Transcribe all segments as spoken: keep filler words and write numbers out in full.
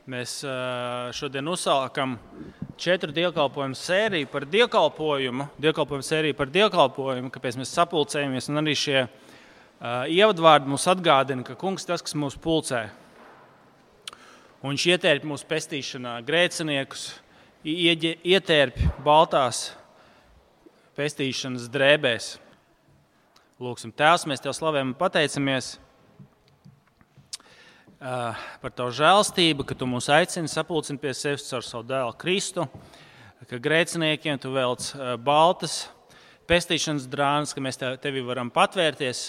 Mēs šodien uzsākam četru dievkalpojumu sēriju par dievkalpojumu, dievkalpojumu sēriju par dievkalpojumu, kāpēc mēs sapulcējamies, un arī šie uh, ievadvārdi mums atgādina, ka Kungs tas, kas mūs pulcē. Un viņš ietērp mūsu pestīšanā grēciniekus, ieģe, ietērp baltās pestīšanas drēbēs. Lūksim, Tēvs, mēs Tev slavējam un pateicamies Uh, par Tavu žēlstību, ka Tu mūs aicini sapulcini pie sevis caur savu dēlu Kristu, ka grēciniekiem Tu velc uh, baltas pestīšanas drānas, ka mēs tev, Tevi varam patvērties,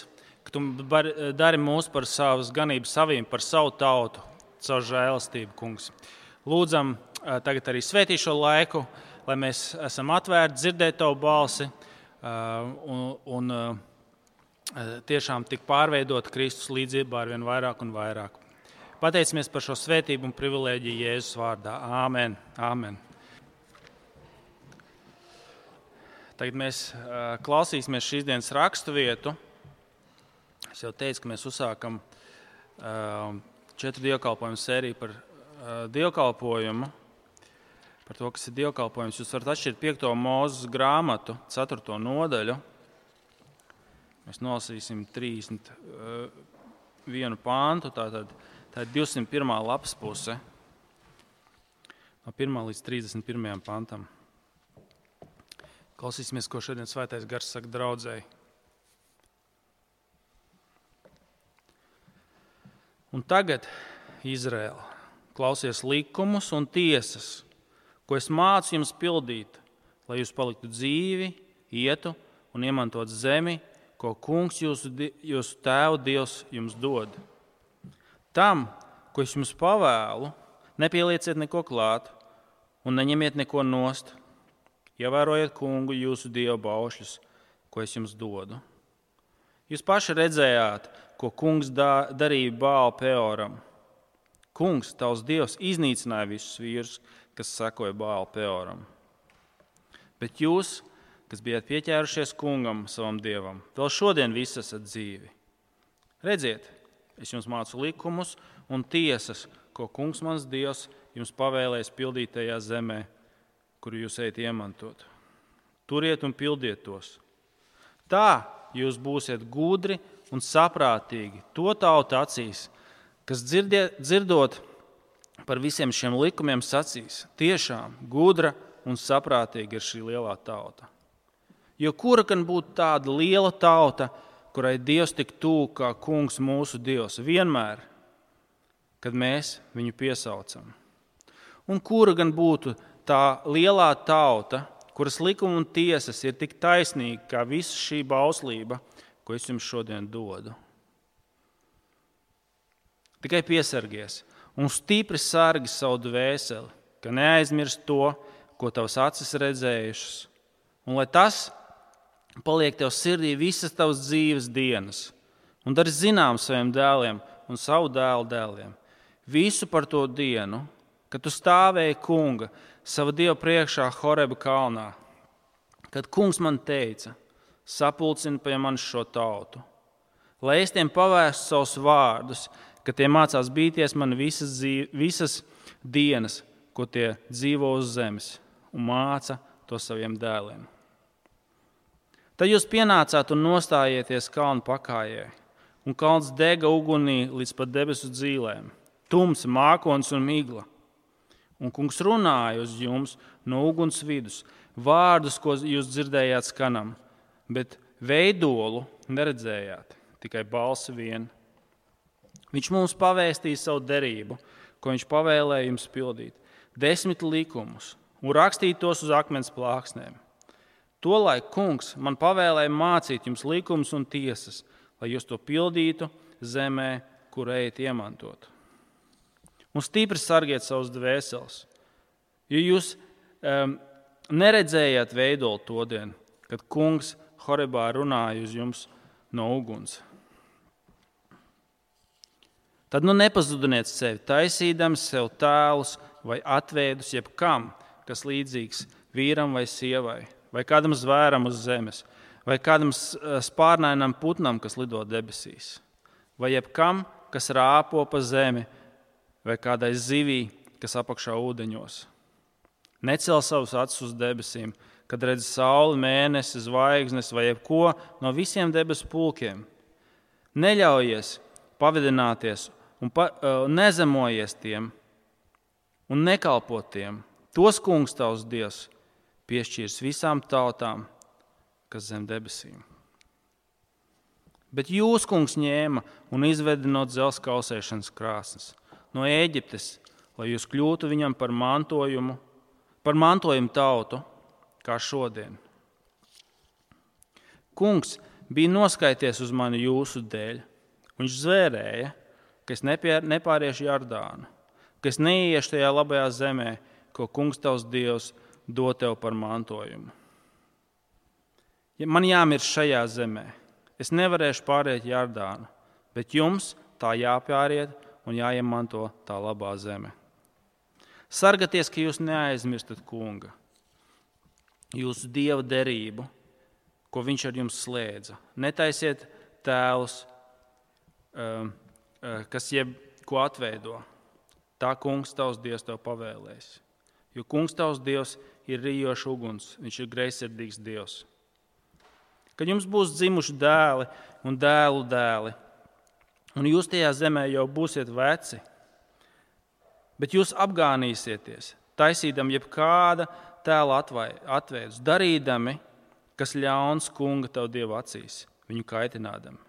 ka Tu bar, dari mūs par savas ganības saviem, par savu tautu, caur žēlstību, Kungs. Lūdzam uh, tagad arī svētī šo laiku, lai mēs esam atvērti dzirdēt Tavu balsi uh, un, un uh, tiešām tik pārveidot Kristus līdzībā ar vien vairāk un vairāk. Pateicamies par šo svētību un privilēģiju Jēzus vārdā. Āmen. Āmen. Tagad mēs uh, klausīsimies šīs dienas rakstu vietu. Es jau teicu, ka mēs uzsākam uh, četru dievkalpojumu sēriju par uh, dievkalpojumu, par to, kas ir dievkalpojums. Jūs varat atšķirt piekto Mūzes grāmatu, ceturto nodaļu. Mēs nolasīsim trīsdesmit vienu pāntu, tātad tā ir divsimt pirmā lapas puse, no pirmā līdz trīsdesmit pirmajam pantam. Klausīsimies, ko šodien Svētais Gars saka draudzēji. Un tagad, Izraēla, klausies likumus un tiesas, ko es mācu jums pildīt, lai jūs paliktu dzīvi, ietu un iemantot zemi, ko Kungs jūsu, jūsu tēvu Dievs jums dod. Tam, ko es jums pavēlu, nepielieciet neko klāt un neņemiet neko nost. Ievērojiet Kungu jūsu Dievu baušļus, ko es jums dodu. Jūs paši redzējāt, ko Kungs da, darīja Bāla Peoram. Kungs, tavs Dievs, iznīcināja visus vīrus, kas sekoja Bāla Peoram. Bet jūs, kas bijāt pieķērušies Kungam, savam Dievam, vēl šodien visi esat dzīvi. Redziet, es jums mācu likumus un tiesas, ko Kungs mans Dievs jums pavēlēs pildīt tajā zemē, kuru jūs ejat iemantot. Turiet un pildiet tos. Tā jūs būsiet gudri un saprātīgi to tautu acīs, kas dzirdiet, dzirdot par visiem šiem likumiem sacīs. Tiešām gudra un saprātīga ir šī lielā tauta. Jo kura gan būtu tāda liela tauta, kurai Dievs tik tuvu kā Kungs mūsu Dievs, vienmēr, kad mēs viņu piesaucam. Un kura gan būtu tā lielā tauta, kuras likuma un tiesas ir tik taisnīga kā visa šī bauslība, ko es jums šodien dodu. Tikai piesargies un stipri sargi savu dvēseli, ka neaizmirst to, ko tavas acis redzējušas, un lai tas paliek tev sirdī visas tavas dzīves dienas, un dari zinām saviem dēliem un savu dēlu dēliem visu par to dienu, kad tu stāvēji Kunga sava Dieva priekšā Horeba kalnā, kad Kungs man teica, sapulcini pie manis šo tautu, lai es tiem pavēstu savus vārdus, ka tie mācās bīties man visas, dzīve, visas dienas, ko tie dzīvo uz zemes, un māca to saviem dēliem. Tad jūs pienācāt un nostājieties kalnu pakājē, un kalns dega ugunī līdz pat debesu dzīlēm, tums, mākons un migla. Un Kungs runāja uz jums no uguns vidus, vārdus, ko jūs dzirdējāt skanam, bet veidolu neredzējāt, tikai balsi vien. Viņš mums pavēstīja savu derību, ko viņš pavēlēja jums pildīt, desmit likumus, un rakstīt tos uz akmens plāksnēm. Tolaik Kungs man pavēlēja mācīt jums likumus un tiesas, lai jūs to pildītu zemē, kur ejat iemantot. Un stipri sargiet savus dvēseles, jo jūs um, neredzējāt veidolu to dienu, kad Kungs Horebā runāja uz jums no uguns. Tad nu nepazudiniet sevi, taisīdami sev tēlus vai atveidus jebkam, kas līdzīgs vīram vai sievai, vai kādam zvēram uz zemes, vai kādam spārnainam putnam, kas lido debesīs, vai jebkam, kas rāpo pa zemi, vai kādai zivī, kas apakšā ūdeņos. Necel savus acis uz debesīm, kad redz sauli, mēnesi, zvaigznes vai jebko no visiem debesu pulkiem. Neļaujies pavidināties un pa, uh, nezemojies tiem un nekalpo tiem. Tos kungs tavs Dievs piešķīrs visām tautām, kas zem debesīm. Bet jūs, kungs, ņēma un izveda no dzelzs kausēšanas krāsnes, no Ēģiptes, lai jūs kļūtu viņam par mantojumu, par mantojumu tautu, kā šodien. Kungs bija noskaities uz mani jūsu dēļ. Viņš zvērēja, ka es nepāriešu Jordānu, ka es neiešu tajā labajā zemē, ko kungs tavs Dievs dod tev par mantojumu. Ja man jāmirst šajā zemē, es nevarēšu pāriet Jordānu, bet jums tā jāpāriet un jāiemanto tā labā zeme. Sargaties, ka jūs neaizmirstat kunga, jūsu Dieva derību, ko viņš ar jums slēdza. Netaisiet tēlus, kas jeb ko atveido. Tā kungs tavs Dievs tev pavēlēs. Jo kungs tavs Dievs ir rijošs uguns, viņš ir greizsirdīgs Dievs. Kad jums būs dzimuši dēli un dēlu dēli, un jūs tajā zemē jau būsiet veci, bet jūs apgānīsieties, taisīdami jebkāda tēla atveidus, darīdami, kas ļauns kunga tavu Dievu acīs, viņu kaitinādami.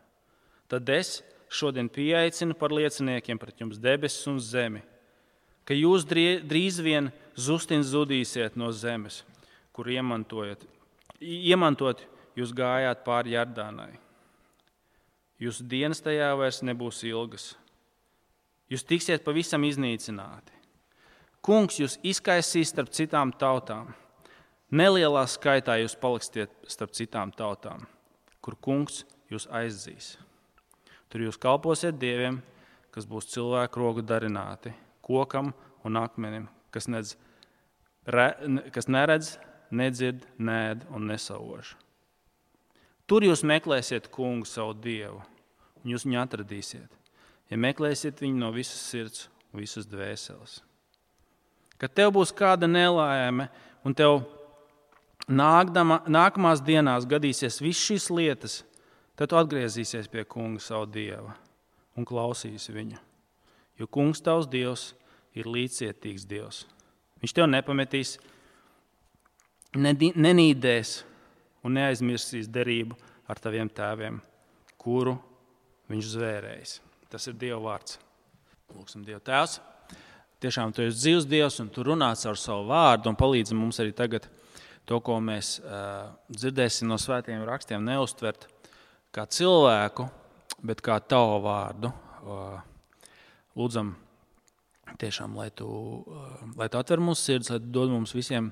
Tad es šodien pieaicinu par lieciniekiem pret jums debesis un zemi, ka jūs drīz vien zustin zudīsiet no zemes, kur iemantojat, iemantot jūs gājāt pāri Jordānai. Jūsu dienas tajā vairs nebūs ilgas. Jūs tiksiet pavisam iznīcināti. Kungs jūs izkaisīs starp citām tautām. Nelielā skaitā jūs paliksiet starp citām tautām, kur kungs jūs aizzīs. Tur jūs kalposiet dieviem, kas būs cilvēku roku darināti, kokam un akmenim, kas, nedz, re, kas neredz, nedzird, nēd un nesauž. Tur jūs meklēsiet kungu savu Dievu, un jūs viņu atradīsiet, ja meklēsiet viņu no visas sirds un visas dvēseles. Kad tev būs kāda nelaime, un tev nākdama, nākamās dienās gadīsies viss šīs lietas, tad tu atgriezīsies pie kunga savu Dieva un klausīsi viņu. Jo kungs tavs Dievs ir līdzcietīgs Dievs. Viņš tev nepametīs, nenīdēs un neaizmirsīs derību ar taviem tēviem, kuru viņš zvērējis. Tas ir Dieva vārds. Lūksim Dievu Tēvs. Tiešām tu esi dzīvs Dievs un tu runā caur savu vārdu un palīdzi mums arī tagad to, ko mēs uh, dzirdēsim no svētiem rakstiem, neuztvert kā cilvēku, bet kā tavu vārdu. Uh, lūdzam tiešām, lai tu, uh, lai tu atver mūsu sirds, lai tu dod mums visiem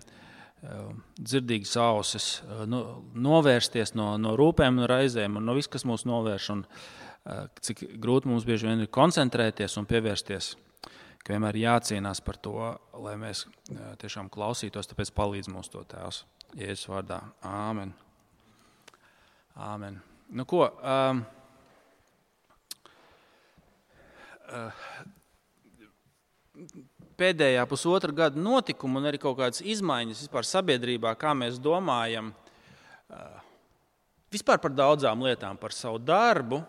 dzirdīgas ausis, novērsties no, no rūpēm, no raizēm un no viss, kas mūs novērš, un cik grūti mums bieži vien ir koncentrēties un pievērsties, ka vienmēr jācīnās par to, lai mēs tiešām klausītos, tāpēc palīdz mums to Tēvs. Jēzus vārdā. Āmen. Āmen. Nu ko, um, uh, pēdējā pusotra gada notikuma un arī kaut kādas izmaiņas vispār sabiedrībā, kā mēs domājam, vispār par daudzām lietām, par savu darbu,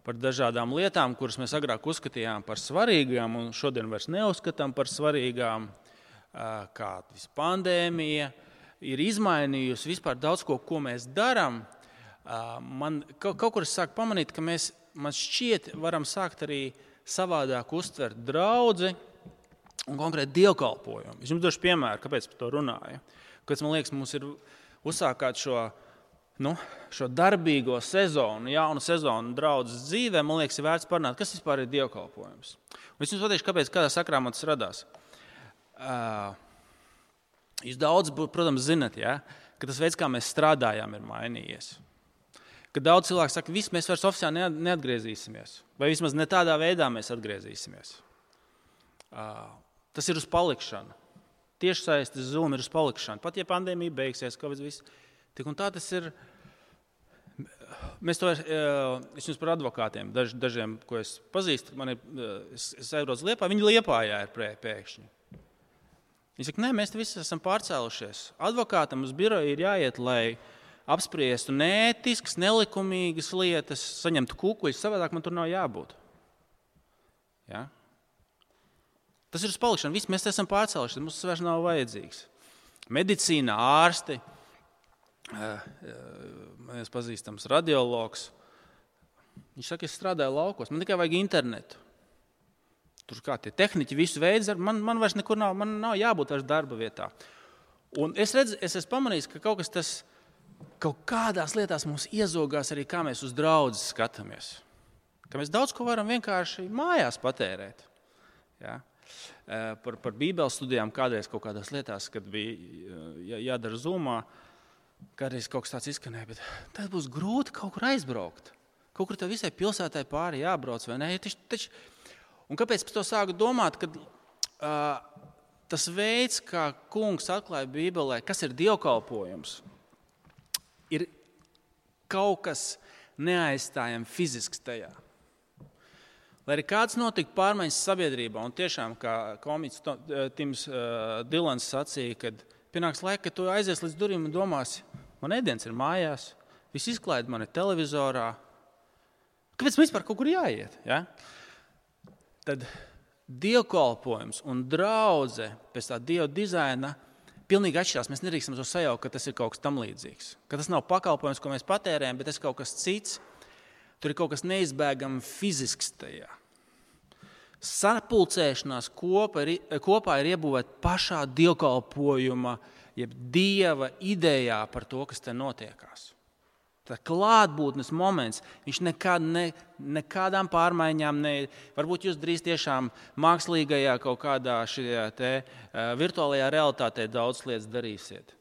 par dažādām lietām, kuras mēs agrāk uzskatījām par svarīgām un šodien vairs neuzskatām par svarīgām, kā pandēmija ir izmainījusi vispār daudz ko, ko mēs darām. Man kaut, kaut kur es sāku pamanīt, ka mēs, man šķiet, varam sākt arī savādāk uztvert draudzi un konkrēti dievkalpojumu. Es jums došu piemēru, kāpēc par to runāju. Kāpēc, man liekas, mums ir uzsākāt šo, nu, šo darbīgo sezonu, jaunu sezonu draudzes dzīvē, man liekas, ir vērts parunāt, kas vispār ir dievkalpojums. Un es jums pateikšu, kāpēc, kādā sakrā man tas radās. Uh, jūs daudz, protams, zinat, ja, ka tas veids, kā mēs strādājām, ir mainījies. Kad daudz cilvēku saka, viss mēs vairs oficiāli neatgriezīsimies, vai vismaz ne tādā veidā mēs atgriezīsimies. Uh, tas ir uz palikšanu. Tiešsaistes Zoom ir uz palikšanu. Pat ja pandēmija beigsies, kaut viss, tik un tā tas ir, mēs to, es jums par advokātiem, daž, dažiem, ko es pazīstu, man ir, es, es aizbraucu Liepā, viņi Liepājā ir pēkšņi. Viņi saka, nē, mēs visi esam pārcēlušies. Advokātam uz biroju ir jāiet, lai apspriestu neētiskas, nelikumīgas lietas, saņemtu kukuļus, savādāk man tur nav jābūt. Ja? Tas ir uz palikšanu. Visi mēs esam pārcēlušies, mums tas vairs nav vajadzīgs. Medicīna, ārsti, mēs pazīstams radiologs. Viņš saka, es strādāju laukos, man tikai vajag internetu. Tur kā tie tehniķi visu veidu, man, man vairs nekur nav, man nav jābūt vairs darba vietā. Un es redzu, es esmu pamanījis, ka kaut kas tas, kaut kādās lietās mums iezogās arī, kā mēs uz draudzes skatāmies. Ka mēs daudz ko varam vienkārši mājās patērēt. Ja? Par, par bībeles studijām kādreiz kaut kādās lietās, kad bija jādara Zoomā, kādreiz kaut kas tāds izskanēja, bet tad būs grūti kaut kur aizbraukt. Kaut kur tev visai pilsētai pāri jābrauc, vai ne? Taču, taču, un kāpēc par to sāku domāt, kad uh, tas veids, kā kungs atklāja Bībelē, kas ir dievkalpojums, ir kaut kas neaizstājami fizisks tajā. Lai arī kāds notika pārmaiņas sabiedrībā, un tiešām, kā komiķis Tims uh, Dilans sacīja, kad pienāks laika, kad tu aizies līdz durvīm un domāsi, man ēdiens ir mājās, viss izklaide man ir televizorā. Kāpēc man vispār kaut kur jāiet? Ja? Tad dievkalpojums un draudze pēc tā dieva dizaina pilnīgi atšķirās. Mēs nedrīkstam to sajaukt, ka tas ir kaut kas tam līdzīgs. Ka tas nav pakalpojums, ko mēs patērējam, bet tas ir kaut kas cits. Tur ir kaut kas neizbēgami fizisks tajā. Sapulcēšanās kopā ir, kopā ir iebūvēta pašā dievkalpojuma, jeb dieva idejā par to, kas te notiekās. Tā klātbūtnes moments, viņš nekād, ne, nekādām pārmaiņām, ne, varbūt jūs drīz tiešām mākslīgajā kaut kādā šajā te uh, virtuālajā realitātē daudz lietas darīsiet.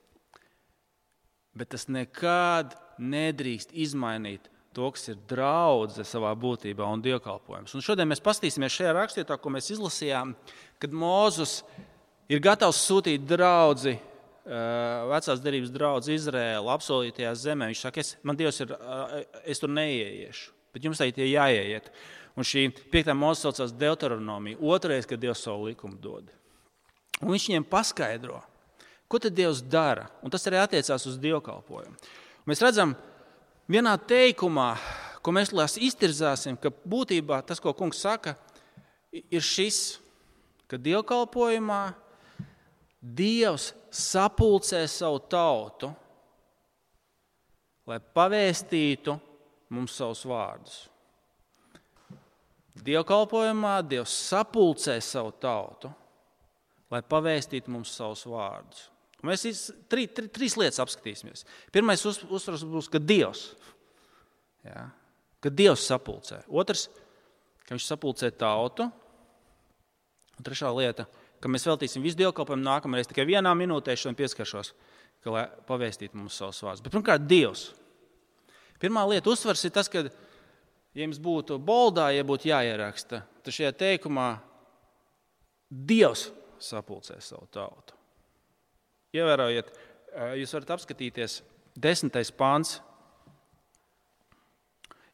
Bet tas nekād nedrīkst izmainīt to, kas ir draudze savā būtībā un dievkalpojums. Un šodien mēs pastīsimies šajā rakstvietā, ko mēs izlasījām, kad Mūzus ir gatavs sūtīt draudzi, vecās derības draudzi Izraēlu apsolītajā zemē. Viņš saka, es, man Dievs ir, es tur neieiešu, bet jums tā ir jāieiet. Un šī piektā Mūzes saucās Deuteronomija, otrais, kad Dievs savu likumu dod. Un viņš viņiem paskaidro, ko tad Dievs dara, un tas arī attiecās uz dievkalpojumu. Mēs redzam, vienā teikumā, ko mēs lās iztirzāsim, ka būtībā tas, ko kungs saka, ir šis, ka dievkalpojumā Dievs sapulcē savu tautu, lai pavēstītu mums savus vārdus. Dievkalpojumā Dievs sapulcē savu tautu, lai pavēstītu mums savus vārdus. Mēs trī, trī, trīs lietas apskatīsimies. Pirmais uz, uzsvars būs, ka Dievs, jā, ka Dievs sapulcē. Otrs, ka viņš sapulcē tautu. Un trešā lieta, ka mēs veltīsim visu dievkalpojumu nākamreiz tikai vienā minūtē šodien pieskaršos, ka lai pavēstītu mums savus vārdus. Bet pirmkārt, Dievs. Pirmā lieta uzsvars ir tas, ka, ja jums būtu boldā, ja būtu jāieraksta, tad šajā teikumā Dievs sapulcē savu tautu. Ievērojiet, jūs varat apskatīties desmitais pāns,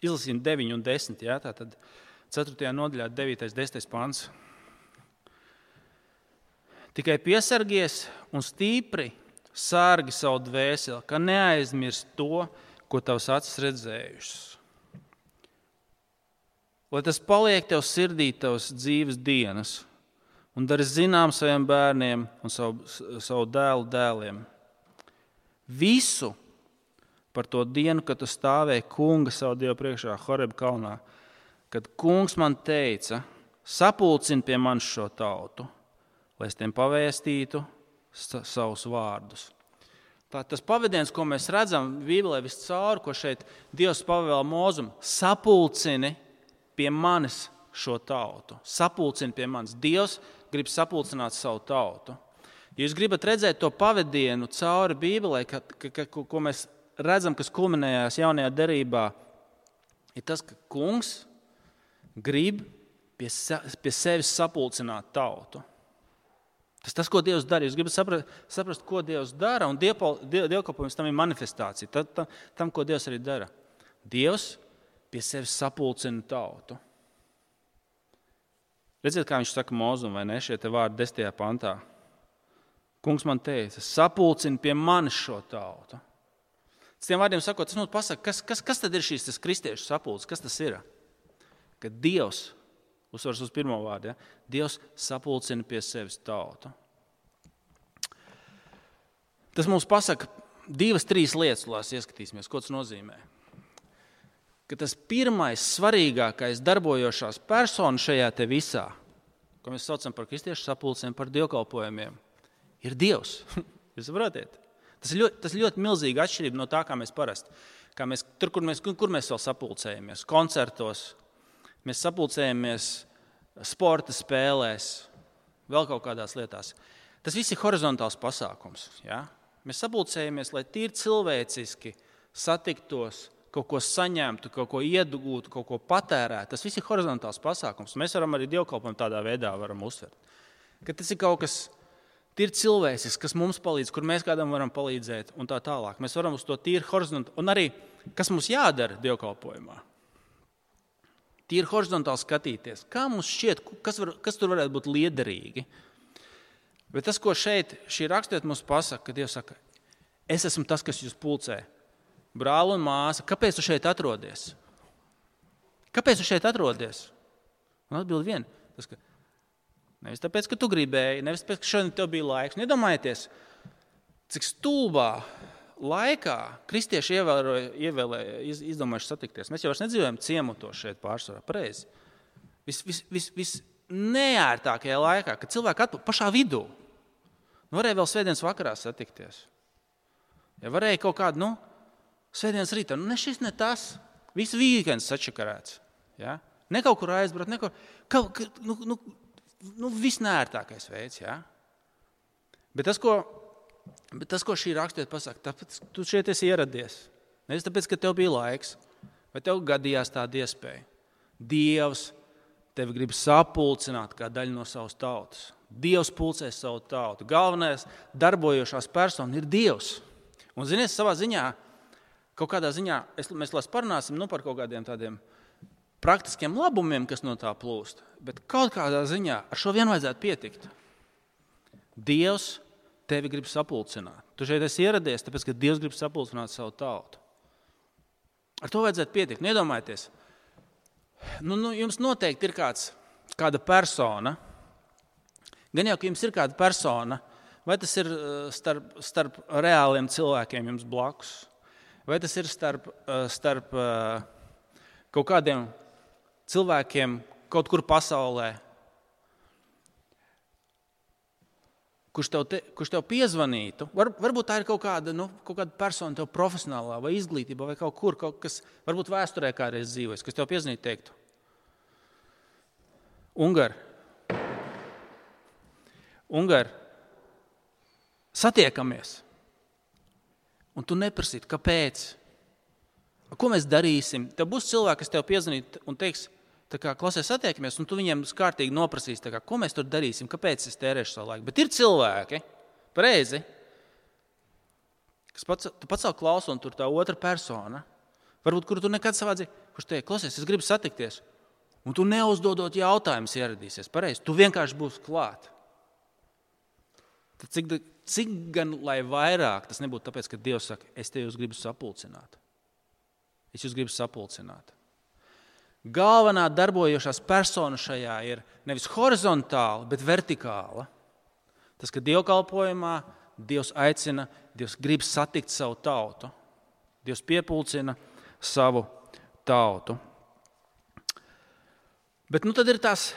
izlasījumi deviņi un desmit, jā, tātad ceturtajā nodaļā devītais, desmitais pāns. Tikai piesargies un stīpri sārgi savu dvēseli, ka neaizmirst to, ko tavs acis redzējušas. Lai tas paliek tev sirdī tavas dzīves dienas, un dari zinām saviem bērniem un savu, savu dēlu dēliem. Visu par to dienu, kad tu stāvēji kunga savu Dievu priekšā Horeb kalnā, kad kungs man teica, sapulcini pie manis šo tautu, lai es tiem pavēstītu savus vārdus. Tā, tas pavadiens, ko mēs redzam Bībelē viscaur, ko šeit Dievs pavēl Mūzum, sapulcini pie manis šo tautu. Sapulcini pie manis. Dievs grib sapulcināt savu tautu. Ja jūs gribat redzēt to pavadienu cauri Bībelē, ka, ka, ka, ko mēs redzam, kas kulminējās jaunajā derībā, ir tas, ka kungs grib pie, pie sevis sapulcināt tautu. Tas tas, ko Dievs dara. Jūs gribat saprast, saprast ko Dievs dara, un dievkalpojums tam ir manifestācija. Tam, tam, ko Dievs arī dara. Dievs pie sevis sapulcina tautu. Redziet, kā viņš saka Mozum, vai ne, šie te vārdi desmitajā pantā. Kungs man teica, sapulcina pie manis šo tautu. S tiem vārdiem sakot, tas mums pasaka, kas, kas, kas tad ir šīs tas kristiešu sapulces, kas tas ir? Kad Dievs, uzsvars uz pirmo vārdu, ja? Dievs sapulcina pie sevis tautu. Tas mums pasaka divas, trīs lietas, lai ieskatīsimies, ko tas nozīmē. Ka tas pirmais, svarīgākais darbojošās persona šajā te visā, ko mēs saucam par kristiešu sapulcēm, par dievkalpojumiem, ir Dievs. Jūs saprotiet? Tas ir ļoti, tas ļoti milzīga atšķirība no tā, kā mēs parasti. Kā mēs, tur, kur mēs, kur mēs vēl sapulcējamies? Koncertos, mēs sapulcējamies sporta spēlēs, vēl kaut kādās lietās. Tas viss ir horizontāls pasākums. Ja? Mēs sapulcējamies, lai tīri cilvēciski satiktos, kaut ko saņemtu, kaut ko iedugūtu, kaut ko patērētu. Tas viss ir horizontāls pasākums. Mēs varam arī dievkalpojumu tādā veidā varam uztvert. Ka tas ir kaut kas tīri cilvēcisks, kas mums palīdz, kur mēs kādam varam palīdzēt un tā tālāk. Mēs varam uz to tīri horizontāli. Un arī, kas mums jādara dievkalpojumā? Tīri horizontāli skatīties. Kā mums šķiet, kas, var, kas tur varētu būt liederīgi? Bet tas, ko šeit šī rakstiet mums pasaka, ka Dievs saka, es esmu tas, kas jūs pulcē. Brāli un māsa, kāpēc tu šeit atrodies? Kāpēc tu šeit atrodies? Un atbild vien. Tas, ka nevis tāpēc, ka tu gribēji, nevis tāpēc, ka šodien tev bija laiks. Nedomājieties, cik stulbā laikā kristieši ievēroja, ievēlēja, iz, izdomājuši satikties. Mēs jau vairs nedzīvojam ciemotos šeit pārsvarā, pareizi. Vis, vis, vis, vis neērtākajā laikā, kad cilvēki atpū pašā vidū. Nu, varēja vēl svētdienas vakarā satikties. Ja varēja kaut kādu, nu, svētdienas rītā, nu, ne šis, ne tas. Viss vīkends sačakarēts. Ja? Ne kaut kur aizbraukt, ne kaut kur, nu, nu, nu, viss neērtākais veids. Ja? Bet tas, ko, bet tas, ko šī rakstiet pasaka, tāpēc tu šeit esi ieradies. Nevis tāpēc, ka tev bija laiks, vai tev gadījās tāda iespēja. Dievs tevi grib sapulcināt kā daļu no savas tautas. Dievs pulcē savu tautu. Galvenais darbojošās persona ir Dievs. Un, zinies, savā ziņā, kaut kādā ziņā, es, mēs lās parunāsim nu, par kaut kādiem tādiem praktiskiem labumiem, kas no tā plūst, bet kaut kādā ziņā ar šo vien vajadzētu pietikt. Dievs tevi grib sapulcināt. Tu šeit esi ieradies, tāpēc, ka Dievs grib sapulcināt savu tautu. Ar to vajadzētu pietikt. Nedomājieties, nu, nu, jums noteikti ir kāds, kāda persona, gan jau, ka jums ir kāda persona, vai tas ir starp, starp reāliem cilvēkiem jums blakus, vai tas ir starp, starp kaut kādiem cilvēkiem kaut kur pasaulē, kurš tev, te, kurš tev piezvanītu. Var, varbūt tā ir kaut kāda, nu, kaut kāda persona tev profesionālā vai izglītībā vai kaut kur, kaut kas, varbūt vēsturē kādreiz dzīvojas, kas tev piezvanītu teiktu. Ungar, Ungar, satiekamies. Un tu neprasītu, kāpēc? Ko mēs darīsim? Tev būs cilvēki, kas tev piezvanīt un teiks, tā kā klasē satiekamies, un tu viņiem kārtīgi noprasīs, tā kā, ko mēs tur darīsim, kāpēc es tērēšu savu laiku. Bet ir cilvēki, pareizi, kas pats, tu pats savu klausu, un tur tā otra persona, varbūt, kuru tu nekad savā dzīvē, kurš teiek, klausies, es gribu satikties, un tu neuzdodot jautājumus ieradīsies, pareizi, tu vienkārši būsi klāt. Tad cik, cik gan, lai vairāk, tas nebūtu tāpēc, ka Dievs saka, es te jūs gribu sapulcināt. Es jūs gribu sapulcināt. Galvenā darbojošās persona šajā ir nevis horizontāla, bet vertikāla. Tas, ka dievkalpojumā Dievs aicina, Dievs grib satikt savu tautu. Dievs piepulcina savu tautu. Bet nu tad ir tās,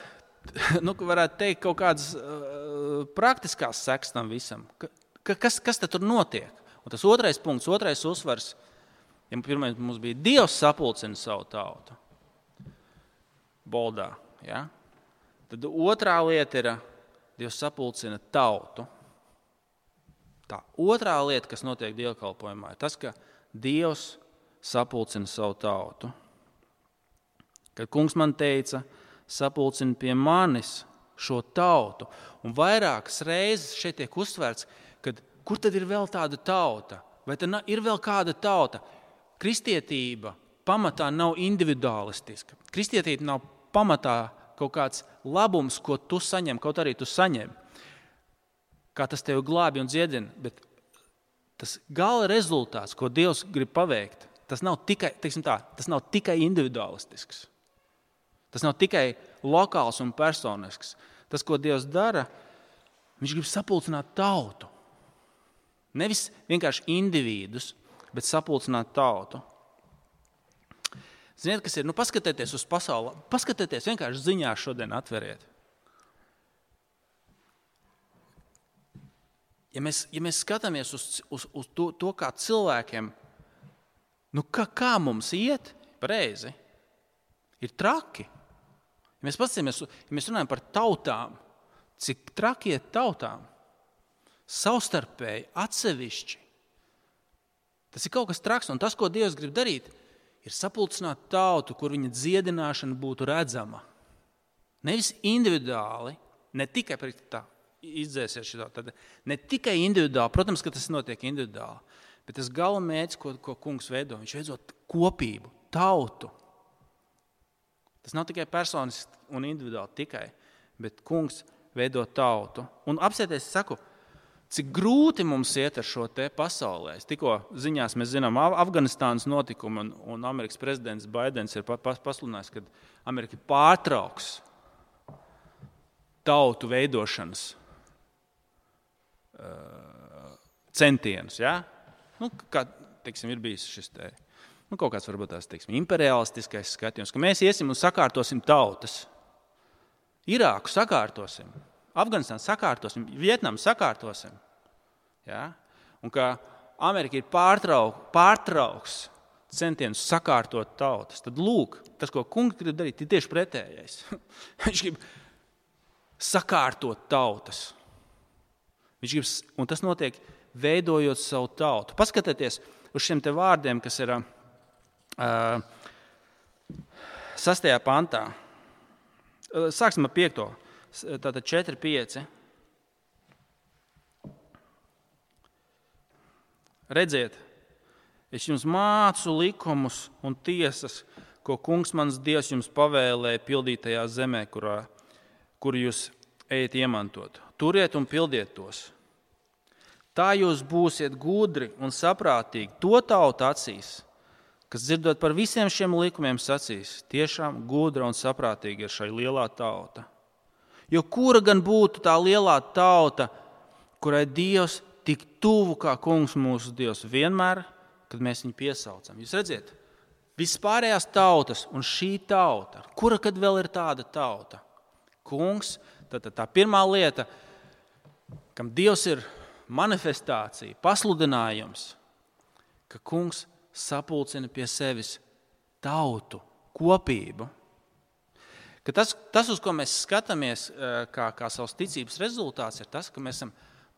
nu, varētu teikt, kaut kādas uh, praktiskās sekas tam visam. Ka, kas, kas tad tur notiek? Un tas otrais punkts, otrais uzsvars, ja pirmais mums bija Dievs sapulcina savu tautu. Boldā, ja? Tad otrā lieta ir, Dievs sapulcina tautu. Tā otrā lieta, kas notiek dievkalpojumā, ir tas, ka Dievs sapulcina savu tautu. Kad kungs man teica, sapulcina pie manis šo tautu, un vairākas reizes šeit tiek uzsvērts, kad kur tad ir vēl tāda tauta? Vai tad ir vēl kāda tauta? Kristietība pamatā nav individualistiska. Kristietība nav pamatā kaut kāds labums, ko tu saņem, kaut arī tu saņem. Kā tas tevi glābi un dziedina, bet tas gala rezultāts, ko Dievs grib paveikt, tas nav tikai, teiksim tā, tas nav tikai individualistisks. Tas nav tikai lokāls un personisks. Tas, ko Dievs dara, viņš grib sapulcināt tautu. Nevis vienkārši individus, bet sapulcināt tautu. Ziniet, kas ir? Nu, paskatieties uz pasauli. Paskatieties, vienkārši ziņā šodien atveriet. Ja mēs, ja mēs skatāmies uz, uz, uz to, to, kā cilvēkiem, nu kā, kā mums iet, pareizi, ir traki. Ja mēs paskatāmies, ja mēs runājam par tautām, cik traki iet tautām, savstarpēji, atsevišķi. Tas ir kaut kas traks, un tas, ko Dievs grib darīt, ir sapulcināt tautu, kur viņa dziedināšana būtu redzama. Nevis individuāli, ne tikai tā, izdzēsies šitā, tad ne tikai individuāli, protams, ka tas notiek individuāli, bet tas gala mērķis, ko, ko kungs veido, viņš veido kopību, tautu. Tas nav tikai personiski un individuāli tikai, bet kungs veido tautu. Un apsieties, es saku, cik grūti mums iet ar šo te pasaulē. Tikko ziņās mēs zinām Afganistānas notikumu, un, un Amerikas prezidents Baidens ir pasludinājis, ka Amerika pārtrauks tautu veidošanas uh, centienus. Ja? Nu, kā, teiksim, ir bijis šis te, nu, kaut kāds varbūt tās, teiksim, imperialistiskais skatījums, ka mēs iesim un sakārtosim tautas. Irāku sakārtosim. Afganistānu sakārtosim, Vietnamu sakārtosim. Ja? Un ka Amerika ir pārtrauk, pārtrauks centienus sakārtot tautas. Tad lūk, tas, ko kungs grib darīt, ir tieši pretējais. Viņš grib sakārtot tautas. Viņš grib, un tas notiek veidojot savu tautu. Paskatieties uz šiem te vārdiem, kas ir uh, sastajā pantā. Sāksim ar piekto. Tātad četri pieci. Redziet, es jums mācu likumus un tiesas, ko kungs mans Dievs jums pavēlēja pildītajā zemē, kurā, kur jūs ejat iemantot. Turiet un pildiet tos. Tā jūs būsiet gudri un saprātīgi to tautu acīs, kas dzirdot par visiem šiem likumiem sacīs, tiešām gudra un saprātīga ir šai lielā tauta. Jo kura gan būtu tā lielā tauta, kurai Dievs tik tuvu kā kungs mūsu Dievs vienmēr, kad mēs viņu piesaucam. Jūs redziet, vispārējās tautas un šī tauta, kura kad vēl ir tāda tauta? Kungs, tā, tā, tā pirmā lieta, kam Dievs ir manifestācija, pasludinājums, ka kungs sapulcina pie sevis tautu, kopību. Ka tas, tas, uz ko mēs skatāmies kā, kā savas ticības rezultāts, ir tas, ka mēs esam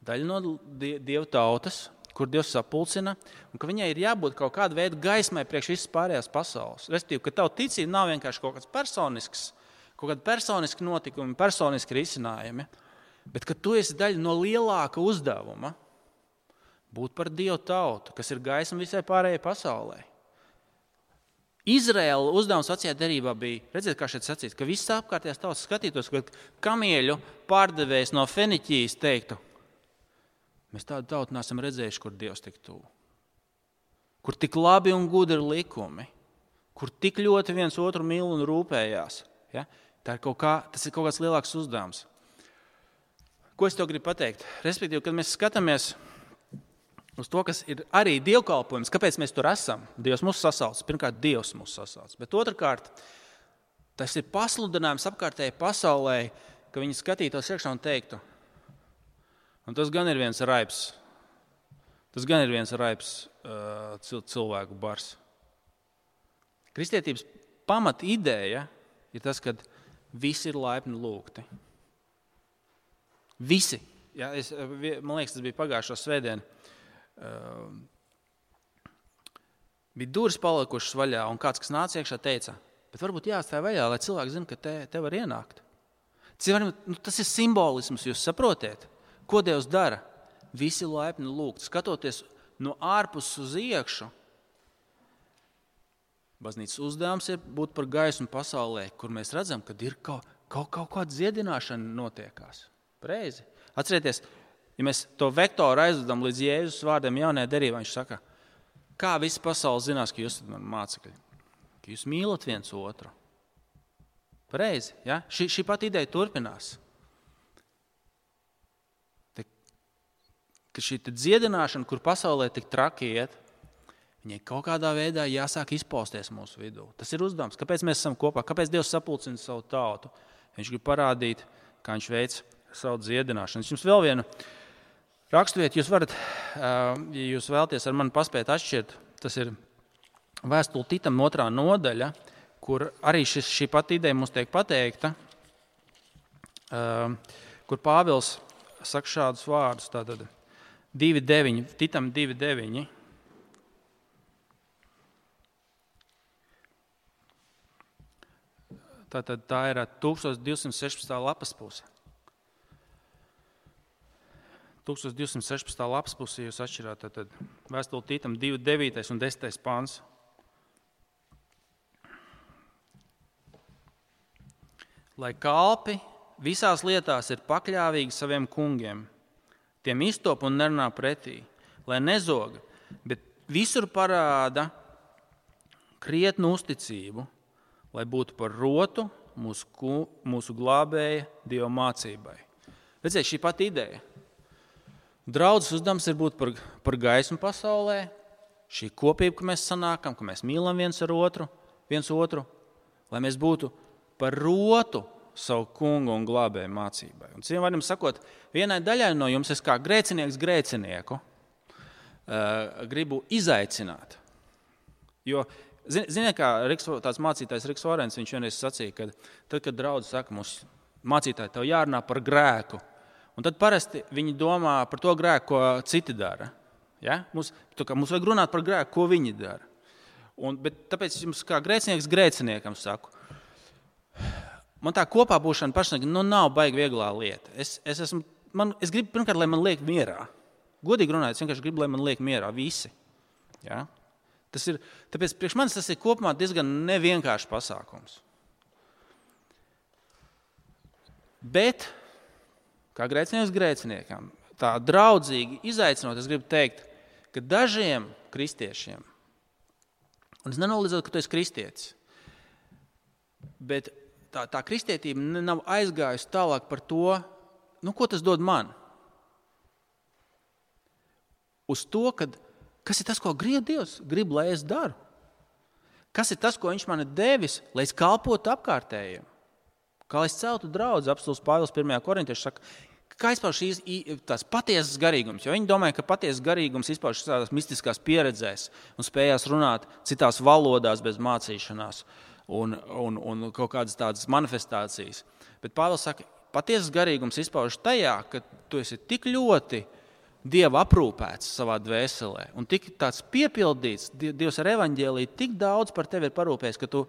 daļa no Dieva tautas, kur Dievs sapulcina, un ka viņai ir jābūt kaut kāda veida gaismai priekš visas pārējās pasaules. Respektīvi, ka tava ticība nav vienkārši kaut kāds personisks, kaut kāda personiski notikumi, personiski risinājumi, bet ka tu esi daļa no lielāka uzdevuma būt par Dievu tautu, kas ir gaisma visai pārējai pasaulē. Izraēla uzdevums vecajā derībā bija, redziet, kā šeit sacīts, ka viss apkārtējās tautas skatītos, ka kamieļu pārdevējs no Feniķijas teiktu, mēs tādu tautu neesam redzējuši, kur Dievs tik tuvu, kur tik labi un gudri likumi, kur tik ļoti viens otru mīl un rūpējās. Ja? Tā ir kaut kā, tas ir kaut kāds lielāks uzdevums. Ko es tev gribu pateikt? Respektīvi, kad mēs skatāmies uz to, kas ir arī dievkalpojums, kāpēc mēs tur esam. Dievs mūs sasauc. Pirmkārt, Dievs mūs sasauc. Bet otrkārt, tas ir pasludinājums apkārtējai pasaulē, ka viņi skatītos iekšā un teiktu, un tas gan ir viens raips, tas gan ir viens raips uh, cilvēku bars. Kristietības pamat ideja ir tas, ka visi ir laipni lūgti. Visi. Ja, es, man liekas, tas bija pagājušo svētdienu. Uh, bija durvis palikušas vaļā, un kāds, kas nāca iekšā, teica, bet varbūt jāatstāj vaļā, lai cilvēki zina, ka te, te var ienākt. Cilvēki, nu, tas ir simbolisms, jūs saprotiet, ko Dievs dara. Visi laipni lūgt, skatoties no ārpuses uz iekšu. Baznīcas uzdevums ir būt par gaismu pasaulē, kur mēs redzam, ka ir kaut, kaut, kaut kāda dziedināšana notiekās. Pareizi. Atcerieties, ja mēs to vektoru aizvedam līdz Jēzus vārdiem jaunajā derībā, viņš saka, kā visa pasaule zinās, ka jūs esat mani mācekļi, ka jūs mīlat viens otru. Pareizi, ja? Šī, šī pat ideja turpinās. Te, ka šī dziedināšana, kur pasaulē tik traki iet, viņai kaut kādā veidā jāsāk izpausties mūsu vidū. Tas ir uzdevums. Kāpēc mēs esam kopā? Kāpēc Dievs sapulcina savu tautu? Viņš grib parādīt, kā viņš veic savu dziedināšanu. Es jums vēl vienu raksturiet, jūs varat, ja jūs vēlties ar mani paspēt atšķirt, tas ir vēstule Titam otrā nodaļa, kur arī šis, šī pati ideja mums tiek pateikta, kur Pāvils saka šādus vārdus, tātad divi deviņi, Titam divi deviņi. Tātad tā ir tūkstoš divsimt sešpadsmitā lapas puse. tūkstoš divsimt sešpadsmitā lapas puse jūs atšķirāt, tātad vēstule Titam divi devītais un desmitais pāns. Lai kalpi visās lietās ir pakļāvīgi saviem kungiem, tiem iztop un nerunā pretī, lai nezoga, bet visur parāda krietnu uzticību, lai būtu par rotu mūsu, mūsu glābēja Dieva mācībai. Redziet, šī pati ideja. Draudzes uzdevums ir būt par, par gaismu pasaulē, šī kopība, ka mēs sanākam, ka mēs mīlam viens ar otru, viens otru, lai mēs būtu par rotu savu kungu un glābēju mācībai. Un citiem vārdiem sakot, vienai daļai no jums es kā grēcinieks grēcinieku uh, gribu izaicināt. Jo Ziniet, kā Riks, tāds mācītājs Riks Orens, viņš vienreiz sacīja, ka tad, kad draudze saka, mums mācītāji, tev jārunā par grēku, un tad parasti viņi domā par to grēku, ko citi dara. Ja? Mums, mums vajag runāt par grēku, ko viņi dara. Un, bet tāpēc jums kā grēcinieks grēciniekam saku, man tā kopā būšana pašnāk, nu nav baigi vieglā lieta. Es, es, esmu, man, es gribu pirmkārt, lai man liek mierā. Godīgi runājot, es vienkārši gribu, lai man liek mierā visi. Ja? Tas ir, tāpēc priekš manis tas ir kopumā diezgan nevienkāršs pasākums. Bet, kā grēcinieks grēciniekam, tā draudzīgi izaicinot, es gribu teikt, ka dažiem kristiešiem, un es nenoliedzot, ka tu esi kristietis, bet tā, tā kristietība nav aizgājusi tālāk par to, nu, ko tas dod man. Uz to, kad kas ir tas, ko grib Dievs? Grib, lai es daru. Kas ir tas, ko viņš man ir devis, lai es kalpotu apkārtējiem? Kā lai es celtu draudzi, apstults Pāvils pirmajā korintieši saka, kā izpauž šīs tās patiesas garīgums? Jo viņi domāja, ka patiesas garīgums izpauž tādās mistiskās pieredzēs un spējās runāt citās valodās bez mācīšanās un, un, un kaut kādas tādas manifestācijas. Bet Pāvils saka, patiesas garīgums izpauž tajā, ka tu esi tik ļoti Dieva aprūpēts savā dvēselē un tik tāds piepildīts, Dievs ar evaņģēliju tik daudz par tevi ir parūpējis, ka tu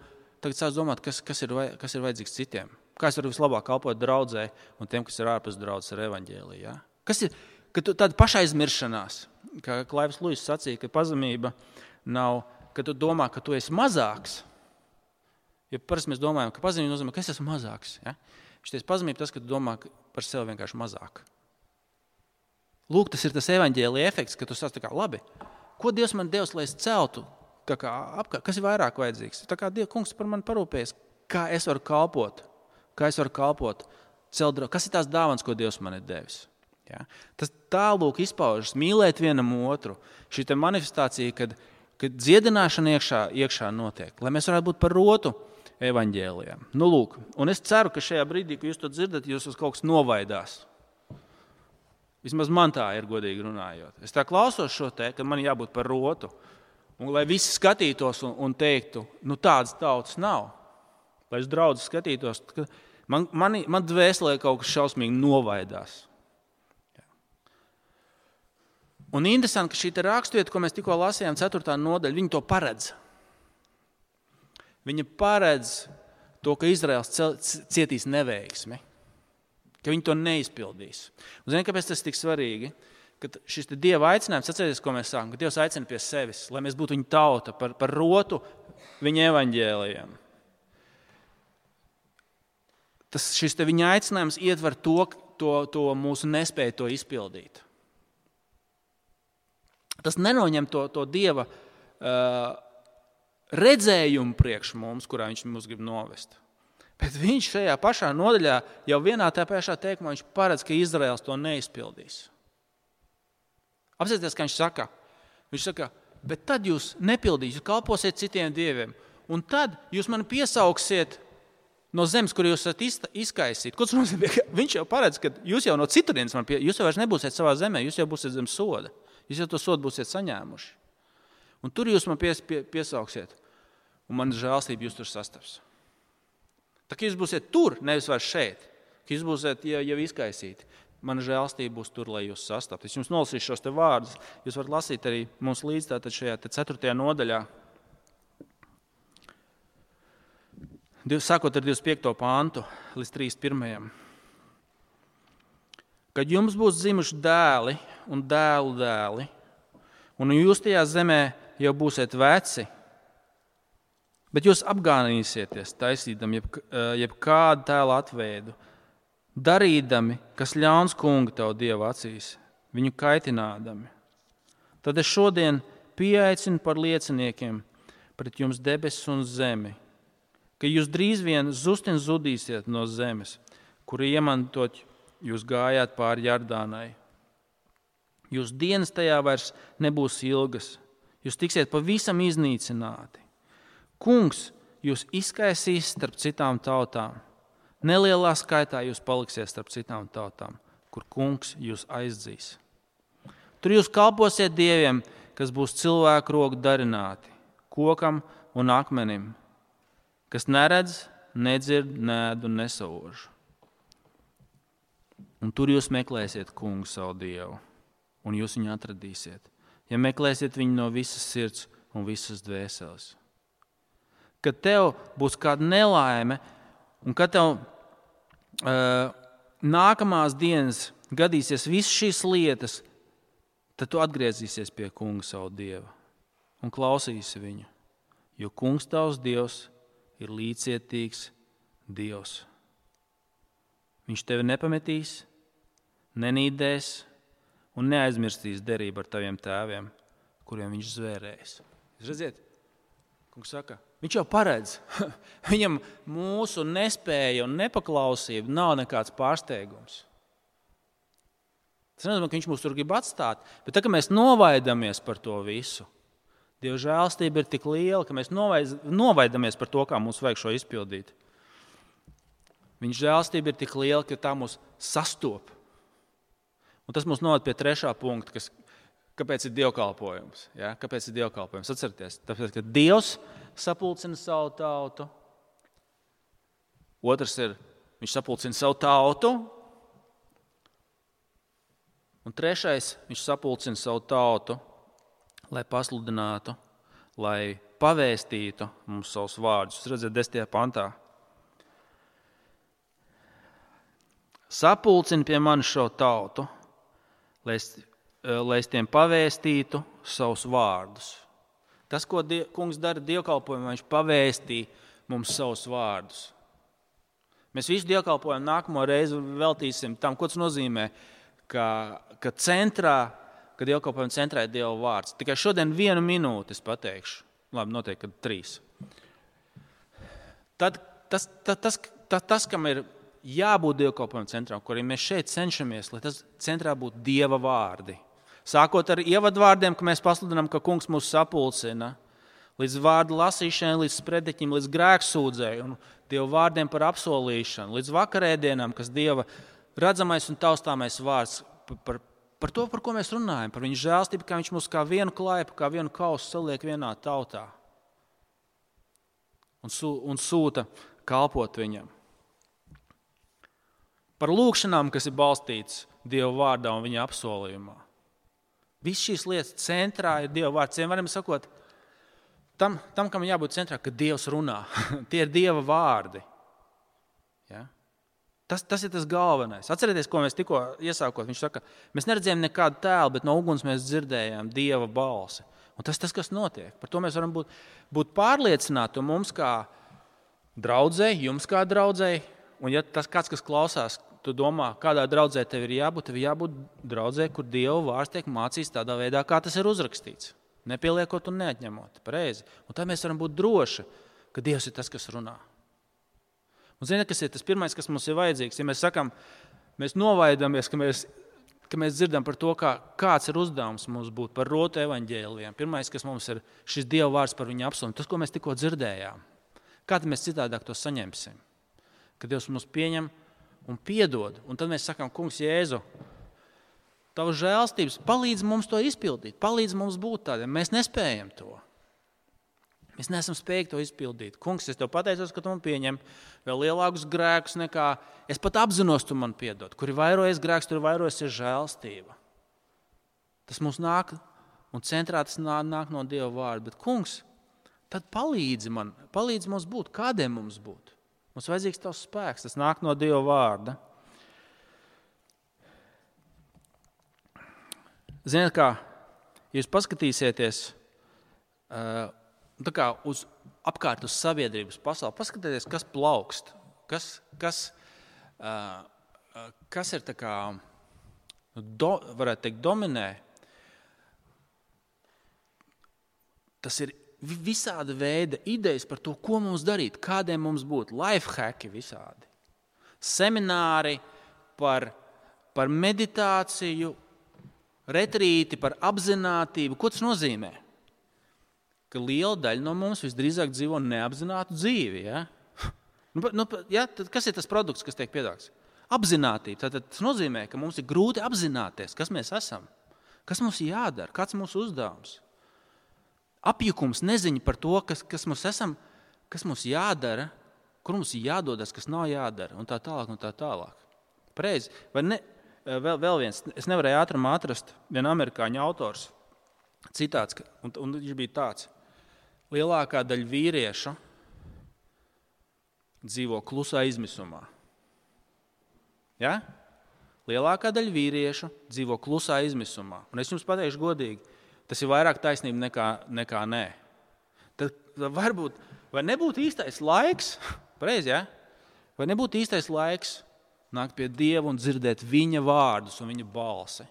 tagad sāc domāt, kas, kas, ir, kas ir vajadzīgs citiem. Kā es varu vislabāk kalpot draudzē un tiem, kas ir ārpus draudzes ar evaņģēliju. Ja? Kas ir, ka tu tāda pašaizmiršanās, kā Klaivs Luis sacīja, ka pazemība nav, ka tu domā, ka tu esi mazāks. Jo parasti mēs domājam, ka pazemība nozīmē, ka es esmu mazāks. Ja? Šities pazemība tas, ka tu domā par sevi vienkārši mazāk. Lūk, tas ir tas evaņģēlija efekts, ka tu sāc tā kā, labi, ko Dievs man devis, lai es celtu, tā kā apkārt, kas ir vairāk vajadzīgs? Tā kā Dieva kungs par mani parūpējas, kā es varu kalpot, kā es varu kalpot, celt, kas ir tās dāvans, ko Dievs man ir devis? Ja? Tas tālūk izpaužas, mīlēt vienam otru, šī te manifestācija, kad, kad dziedināšana iekšā, iekšā notiek, lai mēs varētu būt par rotu evaņģēlijam. Nu, lūk, un es ceru, ka šajā brīdī, kad jūs to dzirdat, jūs uz kaut kas novaidās. Vismaz man tā ir, godīgi runājot. Es tā klausos šo te, ka man jābūt par rotu. Un lai visi skatītos un, un teiktu, nu tādas tautas nav. Lai es draudzi skatītos, ka man, man, man dvēselē kaut kas šausmīgi novaidās. Un interesanti, ka šī te rakstvieta, ko mēs tikko lasījām, ceturtā nodaļa, viņa to paredz. Viņa paredz to, ka Izraels cietīs neveiksmi. Ka viņi to neizpildīs. Un zini, kāpēc tas ir tik svarīgi? Kad šis Dieva aicinājums, atcerieties, ko mēs sākam, ka Dievs aicina pie sevis, lai mēs būtu viņa tauta, par, par rotu viņa evaņģēlijam. Tas, šis te viņa aicinājums ietver to, to, to mūsu nespēju to izpildīt. Tas nenoņem to, to Dieva uh, redzējumu priekš mums, kurā viņš mūs grib novest. Bet viņš šajā pašā nodaļā jau vienā tā pašā teikumā viņš paredz, ka Izraels to neizpildīs. Apsieties, ka viņš saka, viņš saka, bet tad jūs nepildīs, jūs kalposiet citiem dieviem, un tad jūs mani piesauksiet no zemes, kur jūs esat izkaisīti. Ko tas nozīmē? Viņš jau paredz, ka jūs jau no citurienes man pie, jūs jau vairs nebūsiet savā zemē, jūs jau būsiet zem soda. Jūs jau to sodu būsiet saņēmuši. Un tur jūs man pies, pie, piesauksiet, un man žēlstība jūs tur sastaps. Tā kā jūs būsiet tur, nevis vairs šeit, ka jūs būsiet jau, jau izkaisīti. Mana žēlstība būs tur, lai jūs sastapt. Es jums nolasīšu šos te vārdus. Jūs varat lasīt arī mums līdz tātad šajā ceturtajā nodaļā. Sākot ar divdesmit piekto pāntu līdz trīsdesmit pirmajam. Kad jums būs zimuši dēli un dēlu dēli, un jūs tajā zemē jau būsiet veci, bet jūs apgānīsieties, taisīdam jeb, jeb kādu tēlu atveidu, darīdami, kas ļauns kunga tavu Dievu acīs, viņu kaitinādami. Tad es šodien pieaicinu par lieciniekiem pret jums debesis un zemi, ka jūs drīz vien zustin zudīsiet no zemes, kuru iemantot jūs gājāt pāri Jardānai. Jūs dienas tajā vairs nebūs ilgas, jūs tiksiet pavisam iznīcināti. Kungs jūs izkaisīs starp citām tautām. Nelielā skaitā jūs paliksiet starp citām tautām, kur kungs jūs aizdzīs. Tur jūs kalposiet dieviem, kas būs cilvēku roku darināti, kokam un akmenim, kas neredz, nedzird, neēd un nesauž. Un tur jūs meklēsiet kungu savu Dievu, un jūs viņu atradīsiet, ja meklēsiet viņu no visas sirds un visas dvēseles. Kad tev būs kāda nelaime, un kad tev uh, nākamās dienas gadīsies visas šīs lietas, tad tu atgriezīsies pie kunga savu Dievu un klausīsi viņu, jo kungs tavs Dievs ir līdzcietīgs Dievs. Viņš tevi nepametīs, nenīdēs un neaizmirstīs derību ar taviem tēviem, kuriem viņš zvērēs. Jūs redziet, kungs saka, viņš jau paredz. Viņam mūsu nespēja un nepaklausība nav nekāds pārsteigums. Tas nenozīmē, ka viņš mūs tur grib atstāt, bet tā, ka mēs novaidamies par to visu, Dieva žēlstība ir tik liela, ka mēs novaidamies par to, kā mums vajag šo izpildīt. Viņa žēlstība ir tik liela, ka tā mūs sastop. Un tas mūs noved pie trešā punkta, kas, kāpēc ir dievkalpojums. Ja? Kāpēc ir dievkalpojums? Atcerieties, tāpēc, ka Dievs sapulcina savu tautu. Otrs ir, viņš sapulcina savu tautu. Un trešais, viņš sapulcina savu tautu, lai pasludinātu, lai pavēstītu mums savus vārdus. Jūs redzat, desmitajā pantā. Sapulcini pie manis šo tautu, lai es, lai es tiem pavēstītu savus vārdus. Tas, ko die, kungs dara dievkalpojumā, viņš pavēstī mums savus vārdus. Mēs visu dievkalpojumu nākamo reizi veltīsim tam, ko tas nozīmē, ka, ka centrā, ka dievkalpojuma centrā ir Dieva vārds. Tikai šodien vienu minūti es pateikšu. Labi, noteikti, kad trīs. Tad tas, tas, tas, tas, tas kam ir jābūt dievkalpojuma centrā, kur arī mēs šeit cenšamies, lai tas centrā būtu Dieva vārdi. Sākot ar ievadvārdiem, ka mēs pasludinām, ka kungs mūs sapulcina, līdz vārdu lasīšanai, līdz sprediķim, līdz grēksūdzēju un Dieva vārdiem par apsolīšanu, līdz vakarēdienām, kas Dieva redzamais un taustāmais vārds par, par to, par ko mēs runājam, par viņu žēlstību, kā viņš mūs kā vienu klaipu, kā vienu kausu saliek vienā tautā un, sū, un sūta kalpot viņam. Par lūkšanām, kas ir balstīts Dieva vārdā un viņa apsolījumā. Viss šīs lietas centrā ir Dieva vārds. Varam sakot, tam, tam, kam jābūt centrā, ka Dievs runā. Tie ir Dieva vārdi. Ja? Tas, tas ir tas galvenais. Atcerieties, ko mēs tikko iesākot. Viņš saka, mēs neredzējām nekādu tēlu, bet no uguns mēs dzirdējām Dieva balsi. Un Un tas tas, kas notiek. Par to mēs varam būt, būt pārliecināti, un mums kā draudzei, jums kā draudzei, un ja tas kāds, kas klausās, tu domā, kādā draudzē tev ir jābūt, tev ir jābūt draudzē, kur Dieva vārds tiek mācīts tādā veidā, kā tas ir uzrakstīts. Nepieliekot un neatņemot. Pareizi. Un tā mēs varam būt droši, ka Dievs ir tas, kas runā. Un zini, kas ir tas pirmais, kas mums ir vajadzīgs? Ja mēs sakam, mēs novaidamies, ka mēs, ka mēs dzirdam par to, kā, kāds ir uzdevums mums būt par rotu evaņģēlijiem. Pirmais, kas mums ir šis Dieva vārds par viņu apsolījumu, tas, ko mēs tikko dzirdējām. Kā tad mēs citādāk to saņemsim? Kad Dievs mums pieņem un piedod. Un tad mēs sakām, kungs Jēzu, tavas žēlstības palīdz mums to izpildīt, palīdz mums būt tādiem. Mēs nespējam to. Mēs neesam spējīgi to izpildīt. Kungs, es tev pateicos, ka tu man pieņem vēl lielākus grēkus nekā es pat apzinos, tu man piedod. Kur ir vairojies grēks, tur ir vairojusies žēlstība. Tas mums nāk un centrā tas nāk no Dieva vārda. Bet, kungs, tad palīdzi man, palīdzi mums būt, kādiem mums būt. Mums vajadzīgs tavs spēks, tas nāk no Dieva vārda. Ziniet kā, ja jūs paskatīsieties tā kā uz apkārt uz sabiedrības pasauli, paskatieties, kas plaukst, kas, kas, kas ir tā kā, do, varētu teikt, dominē. Tas ir visāda veida idejas par to, ko mums darīt, kādiem mums būt, life hacki visādi. Semināri par, par meditāciju, retrīti, par apzinātību. Ko tas nozīmē? Ka liela daļa no mums visdrīzāk dzīvo neapzinātu dzīvi. Ja? Nu, nu, ja, tad kas ir tas produkts, kas tiek piedāvāts? Apzinātība. Tātad tas nozīmē, ka mums ir grūti apzināties, kas mēs esam, kas mums jādara, kāds mūsu uzdevums. Apjukums, neziņa par to, kas, kas mums esam, kas mums jādara, kur mums ir jādodas, kas nav jādara, un tā tālāk, un tā tālāk. Pareizi. Vai ne, vēl, vēl viens, es nevarēju ātrumā atrast vienu amerikāņu autors citāts, un, un viņš bija tāds. Lielākā daļa vīriešu dzīvo klusā izmisumā. Ja? Lielākā daļa vīriešu dzīvo klusā izmisumā. Un es jums pateikšu godīgi, tas ir vairāk taisnība nekā, nekā nē. Tad varbūt, vai nebūtu īstais laiks, pareizi, ja? Vai nebūtu īstais laiks nākt pie Dieva un dzirdēt viņa vārdus un viņa balsi,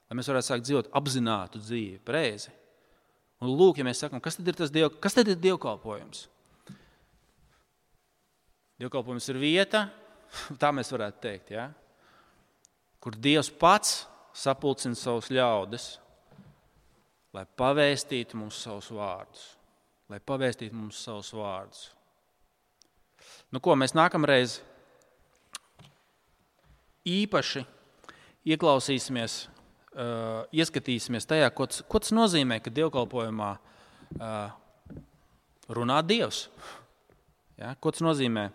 lai mēs varētu sākt dzīvot apzinātu dzīvi, pareizi. Un lūk, ja mēs sakam, kas tad ir tas diev, kas tad ir dievkalpojums? Dievkalpojums ir vieta, tā mēs varētu teikt, ja? Kur Dievs pats sapulcina savus ļaudis, lai pavēstītu mums savus vārdus. Lai pavēstītu mums savus vārdus. Nu ko, mēs nākamreiz īpaši ieklausīsimies, uh, ieskatīsimies tajā, ko tas, ko tas nozīmē, ka dievkalpojumā uh, runā Dievs. Ja, ko tas nozīmē?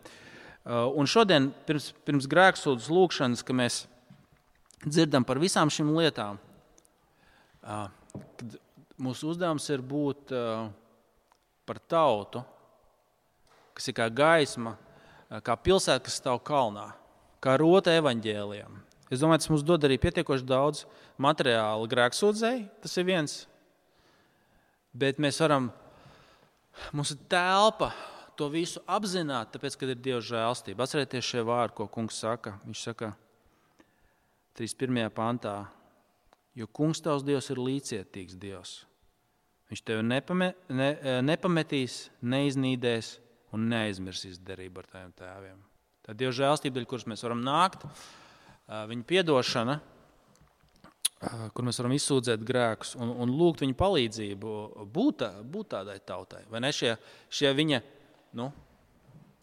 Uh, un šodien, pirms, pirms grēksūdzes lūkšanas, ka mēs dzirdam par visām šīm lietām, uh, kad mūsu uzdevums ir būt uh, par tautu, kas ir kā gaisma, kā pilsēta, kas stāv kalnā, kā rota evaņģēlijam. Es domāju, tas mums dod arī pietiekoši daudz materiāla grēksūdzei, tas ir viens. Bet mēs varam, mums ir telpa to visu apzināt, tāpēc, kad ir Dieva žēlstība. Atcerieties šie vārdi, ko kungs saka. Viņš saka trīsdesmit pirmajā pantā, jo kungs tavs Dievs ir līdzcietīgs Dievs. Viņš tevi nepame, ne, nepametīs, neiznīdēs un neaizmirsīs derību ar taviem tēviem. Tā Dieva žēlstība, dēļ, kuras mēs varam nākt, viņa piedošana, kur mēs varam izsūdzēt grēkus un, un lūgt viņa palīdzību būt, būt tādai tautai. Vai ne šie, šie viņa nu,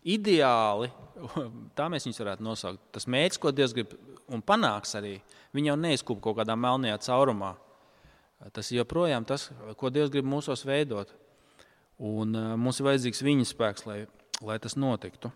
ideāli, tā mēs viņus varētu nosaukt. Tas mērķis, ko Dievs grib un panāks arī, viņi jau neizkūp kaut kādā melnajā caurumā. Tas ir joprojām tas, ko Dievs grib mūsos veidot. Un mums ir vajadzīgs viņa spēks, lai, lai tas notiktu.